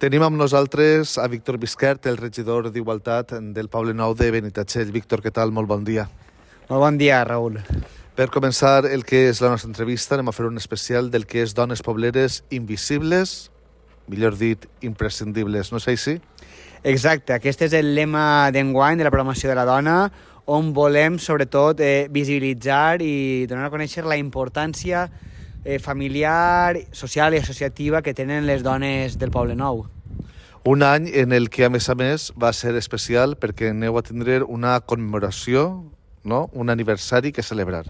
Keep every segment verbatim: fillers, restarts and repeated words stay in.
Tenim amb nosaltres a Víctor Bisquert, el regidor d'Igualtat del Poble Nou de Benitatxell. Víctor, què tal? Molt bon dia. Molt bon dia, Raül. Per començar el que és la nostra entrevista, anem a fer un especial del que és dones pobleres invisibles, millor dit, imprescindibles. No és així? Exacte, aquest és el lema d'enguany de la programació de la dona, on volem, sobretot, eh, visibilitzar i donar a conèixer la importància eh, familiar, social i associativa que tenen les dones del Poble Nou. Un any en el que, a més a més, va ser especial perquè aneu a tindre una commemoració, no? Un aniversari que celebrar.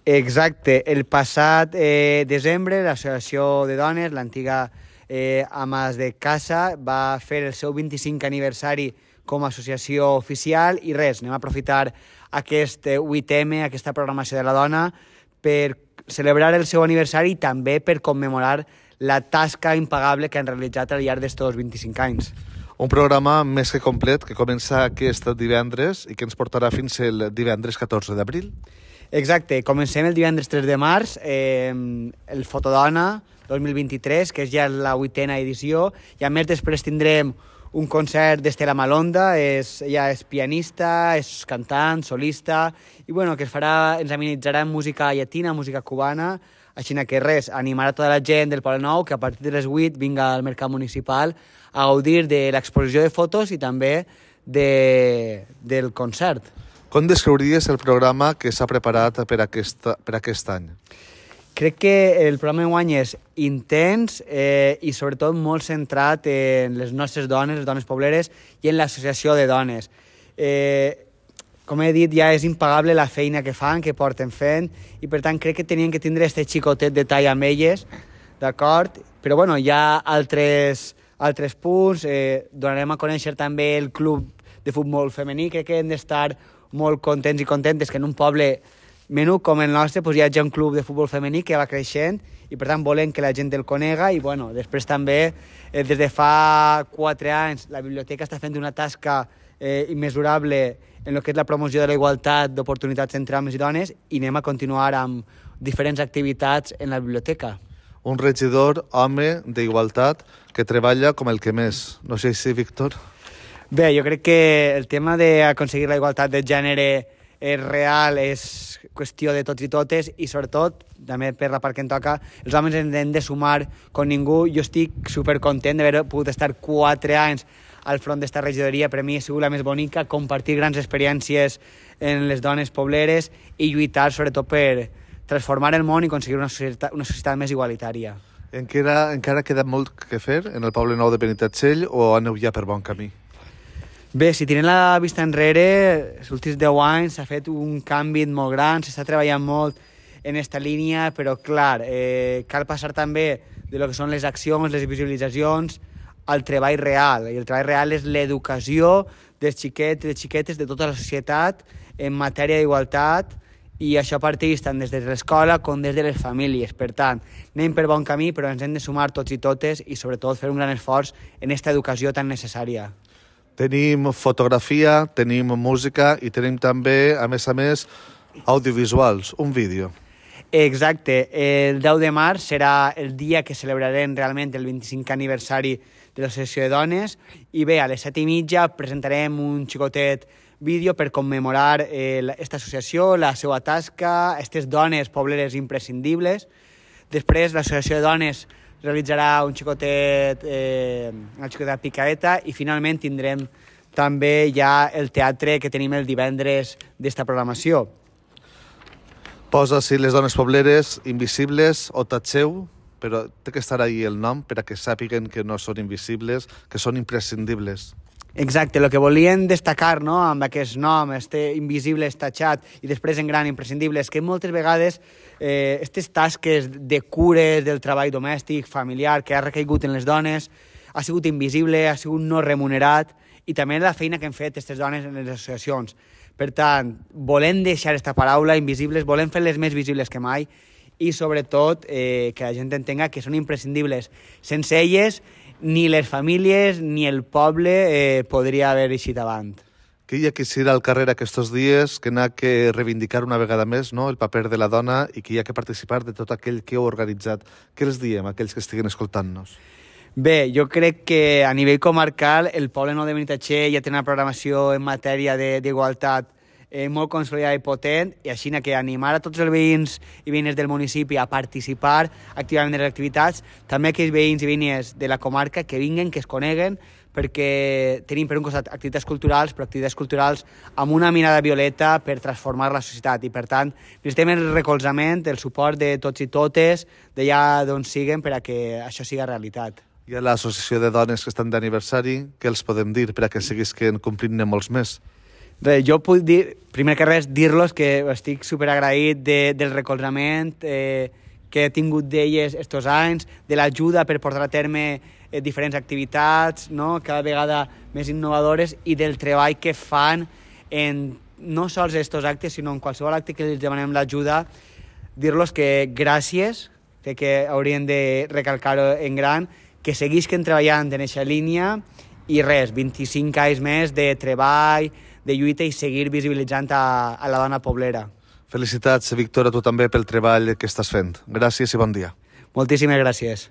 Exacte. El passat eh, desembre, l'Associació de Dones, l'antiga eh, Amas de Casa, va fer el seu vint-i-cinquè aniversari com a associació oficial i res, anem a aprofitar aquest vuit eme, aquesta programació de la dona, per celebrar el seu aniversari i també per commemorar la tasca impagable que han realitzat al llarg d'estos vint-i-cinc anys. Un programa més que complet que comença aquest divendres i que ens portarà fins el divendres catorze d'abril. Exacte, comencem el divendres tres de març, eh, el Fotodona dos mil vint-i-tres, que és ja la vuitena edició, i a més després tindrem un concert d'Estela Malonda, és, ella és pianista, és cantant, solista, i bueno, que es farà, ens amenitzarà en música llatina, música cubana, així que res, animar a tota la gent del Poble Nou que a partir de les vuit vinga al Mercat Municipal a gaudir de l'exposició de fotos i també de, del concert. Com descriuries el programa que s'ha preparat per aquest, per aquest any? Crec que el programa d'enguany és intens eh, i sobretot molt centrat en les nostres dones, les dones pobleres, i en l'associació de dones. Eh, com he dit, ja és impagable la feina que fan, que porten fent, i per tant crec que tenien que tindre este xicotet de tall amb elles, d'acord? Però bueno, hi ha altres, altres punts, eh, donarem a conèixer també el club de futbol femení, crec que hem d'estar molt contents i contentes que en un poble menú com el nostre pues, hi hagi un club de futbol femení que va creixent i per tant volem que la gent el conega i bueno, després també eh, des de fa quatre anys la biblioteca està fent una tasca eh, immesurable en el que és la promoció de la igualtat d'oportunitats entre homes i dones i anem a continuar amb diferents activitats en la biblioteca. Un regidor home d'igualtat que treballa com el que més. No sé si, Víctor? Bé, jo crec que el tema d'aconseguir la igualtat de gènere és real, és qüestió de tots i totes i sobretot, també per la part que em toca, els homes ens hem de sumar com ningú. Jo estic supercontent d'haver pogut estar quatre anys al front d'esta regidoria. Per mi ha sigut la més bonica, compartir grans experiències en les dones pobleres i lluitar sobretot per transformar el món i aconseguir una societat, una societat més igualitària. Encara, encara queda molt que fer en el Poble Nou de Benitatxell o aneu ja per bon camí? Bé, si tirem la vista enrere, els últims deu anys s'ha fet un canvi molt gran, s'està treballant molt en aquesta línia, però clar, eh, cal passar també de lo que són les accions, les visualitzacions, al treball real. I el treball real és l'educació dels xiquets i les xiquetes de tota la societat en matèria d'igualtat i això parteix tant des de l'escola com des de les famílies. Per tant, anem per bon camí, però ens hem de sumar tots i totes i sobretot fer un gran esforç en aquesta educació tan necessària. Tenim fotografia, tenim música i tenim també, a més a més, audiovisuals, un vídeo. Exacte. El deu de març serà el dia que celebrarem realment el vint-i-cinquè aniversari de l'Associació de Dones i bé, a les set i mitja presentarem un xicotet vídeo per commemorar aquesta eh, associació, la seva tasca, aquestes dones pobleres imprescindibles. Després, l'Associació de Dones realitzarà un xicotet, eh, una xicoteta picaeta i finalment tindrem també ja el teatre que tenim el divendres d'esta programació. Posa-s'hi les dones pobleres invisibles o tatxeu, però té que estar ahí el nom per a que sàpiguen que no són invisibles, que són imprescindibles. Exacte, el que volien destacar no, amb aquest nom, este invisible estatxat i després en gran imprescindible, és que moltes vegades eh, aquestes tasques de cures del treball domèstic, familiar, que ha recaigut en les dones, ha sigut invisible, ha sigut no remunerat i també la feina que han fet aquestes dones en les associacions. Per tant, volem deixar aquesta paraula, invisibles, volem fer-les més visibles que mai i sobretot eh, que la gent entenga que són imprescindibles. Sense elles ni les famílies ni el poble eh, podria haver eixit avant. Que hi ha que ir al carrer aquests dies, que n'ha que reivindicar una vegada més no, el paper de la dona i que hi ha que participar de tot aquell que heu organitzat. Què els diem a aquells que estiguen escoltant-nos? Bé, jo crec que a nivell comarcal el poble nou de Benitatxell ja té una programació en matèria d'igualtat eh, molt consolidada i potent, i així que animar a tots els veïns i veïnes del municipi a participar activament en les activitats, també aquells veïns i veïnes de la comarca que vinguen, que es coneguen, perquè tenim per un costat activitats culturals, però activitats culturals amb una mirada violeta per transformar la societat, i per tant necessitem el recolzament, el suport de tots i totes, d'allà d'on siguen, per a que això siga realitat. I a l'associació de dones que estan d'aniversari, què els podem dir per a que seguisquen complint-ne molts més? Bé, jo puc dir, primer que res, dir-los que estic superagraït de, del recolzament eh, que he tingut d'elles estos anys, de l'ajuda per portar a terme eh, diferents activitats, no? Cada vegada més innovadores, i del treball que fan en no sols estos actes, sinó en qualsevol acte que els demanem l'ajuda. Dir-los que gràcies, crec que haurien de recalcar-ho en gran, que seguisquen treballant en aquesta línia, i res, vint-i-cinc anys més de treball, de lluita, i seguir visibilitzant a, a la dona poblera. Felicitats, Víctor, a tu també pel treball que estàs fent. Gràcies i bon dia. Moltíssimes gràcies.